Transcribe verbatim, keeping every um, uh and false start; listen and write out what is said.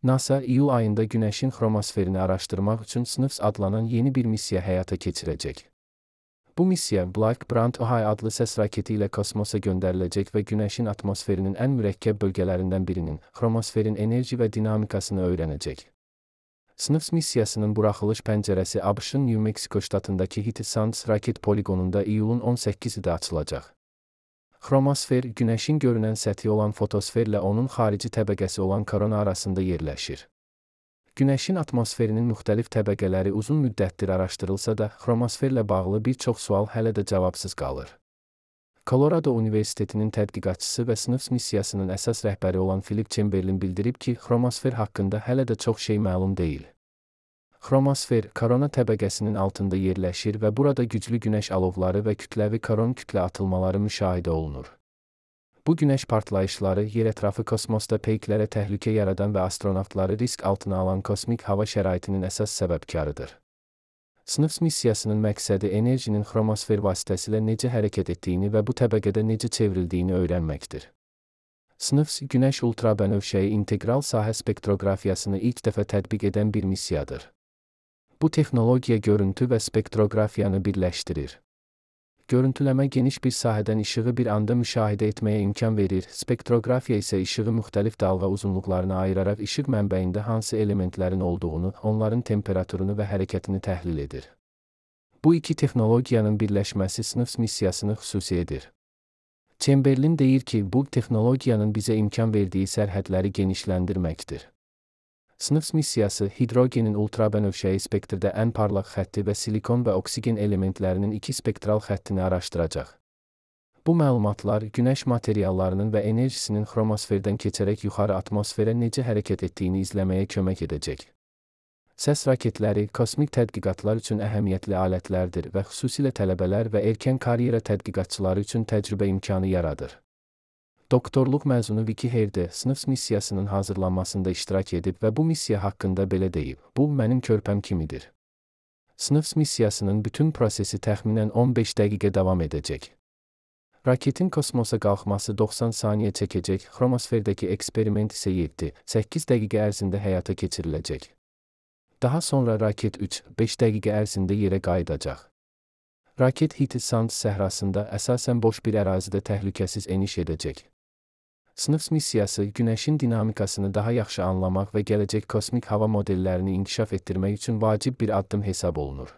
NASA iyul ayında Günəşin xromosferini araşdırmaq üçün SNIPS adlanan yeni bir missiya həyata keçirəcək. Bu missiya Black Brant-Ohio adlı səs raketi ilə kosmosa göndəriləcək və Günəşin atmosferinin ən mürəkkəb bölgələrindən birinin, xromosferin enerji və dinamikasını öyrənəcək. SNIPS missiyasının buraxılış pəncərəsi ABŞ-ın New Mexico ştatındakı Hitty Sands raket poligonunda iyulun on səkkizində açılacaq. Xromosfer, Günəşin görünən səthi olan fotosferlə onun xarici təbəqəsi olan korona arasında yerləşir. Günəşin atmosferinin müxtəlif təbəqələri uzun müddətdir araşdırılsa da, xromosferlə bağlı bir çox sual hələ də cavabsız qalır. Colorado Universitetinin tədqiqatçısı və SNIPS missiyasının əsas rəhbəri olan Philip Chamberlain bildirib ki, xromosfer haqqında hələ də çox şey məlum deyil. Xromosfer, korona təbəqəsinin altında yerləşir və burada güclü günəş alovları və kütləvi koron kütlə atılmaları müşahidə olunur. Bu günəş partlayışları yerətrafı kosmosda peyklərə təhlükə yaradan və astronavtları risk altına alan kosmik hava şəraitinin əsas səbəbkarıdır. SNIPS missiyasının məqsədi enerjinin xromosfer vasitəsilə necə hərəkət etdiyini və bu təbəqədə necə çevrildiyini öyrənməkdir. SNIPS, Günəş ultrabənövşəyi integral sahə spektroqrafiyasını ilk dəfə tətbiq edən bir missiyadır. Bu texnologiya görüntü və spektroqrafiyanı birləşdirir. Görüntüləmə geniş bir sahədən işığı bir anda müşahidə etməyə imkan verir, spektroqrafiya isə işığı müxtəlif dalğa uzunluqlarına ayıraraq işıq mənbəyində hansı elementlərin olduğunu, onların temperaturunu və hərəkətini təhlil edir. Bu iki texnologiyanın birləşməsi SNIPS missiyasını xüsusi edir. Chamberlain deyir ki, bu texnologiyanın bizə imkan verdiyi sərhədləri genişləndirməkdir. SNIPS missiyası, hidrogenin ultrabənövşəyi spektrdə ən parlaq xətti və silikon və oksigen elementlərinin iki spektral xəttini araşdıracaq. Bu məlumatlar, Günəş materiallarının və enerjisinin xromosferdən keçərək yuxarı atmosferə necə hərəkət etdiyini izləməyə kömək edəcək. Səs raketləri, kosmik tədqiqatlar üçün əhəmiyyətli alətlərdir və xüsusilə tələbələr və erkən karyera tədqiqatçıları üçün təcrübə imkanı yaradır. Doktorluq məzunu Vicky Herde, SNIPS missiyasının hazırlanmasında iştirak edib və bu missiya haqqında belə deyib: "Bu, mənim körpəm kimidir." SNIPS missiyasının bütün prosesi təxminən on beş dəqiqə davam edəcək. Raketin kosmosa qalxması doxsan saniyə çəkəcək, xromosferdəki eksperiment isə yeddi səkkiz dəqiqə ərzində həyata keçiriləcək. Daha sonra raket üç beş dəqiqə ərzində yerə qayıdacaq. Raket Hitty Sands səhrasında əsasən boş bir ərazidə təhlükəsiz eniş edəcək. SNIPS missiyası, Günəşin dinamikasını daha yaxşı anlamaq və gələcək kosmik hava modellərini inkişaf etdirmək üçün vacib bir addım hesab olunur.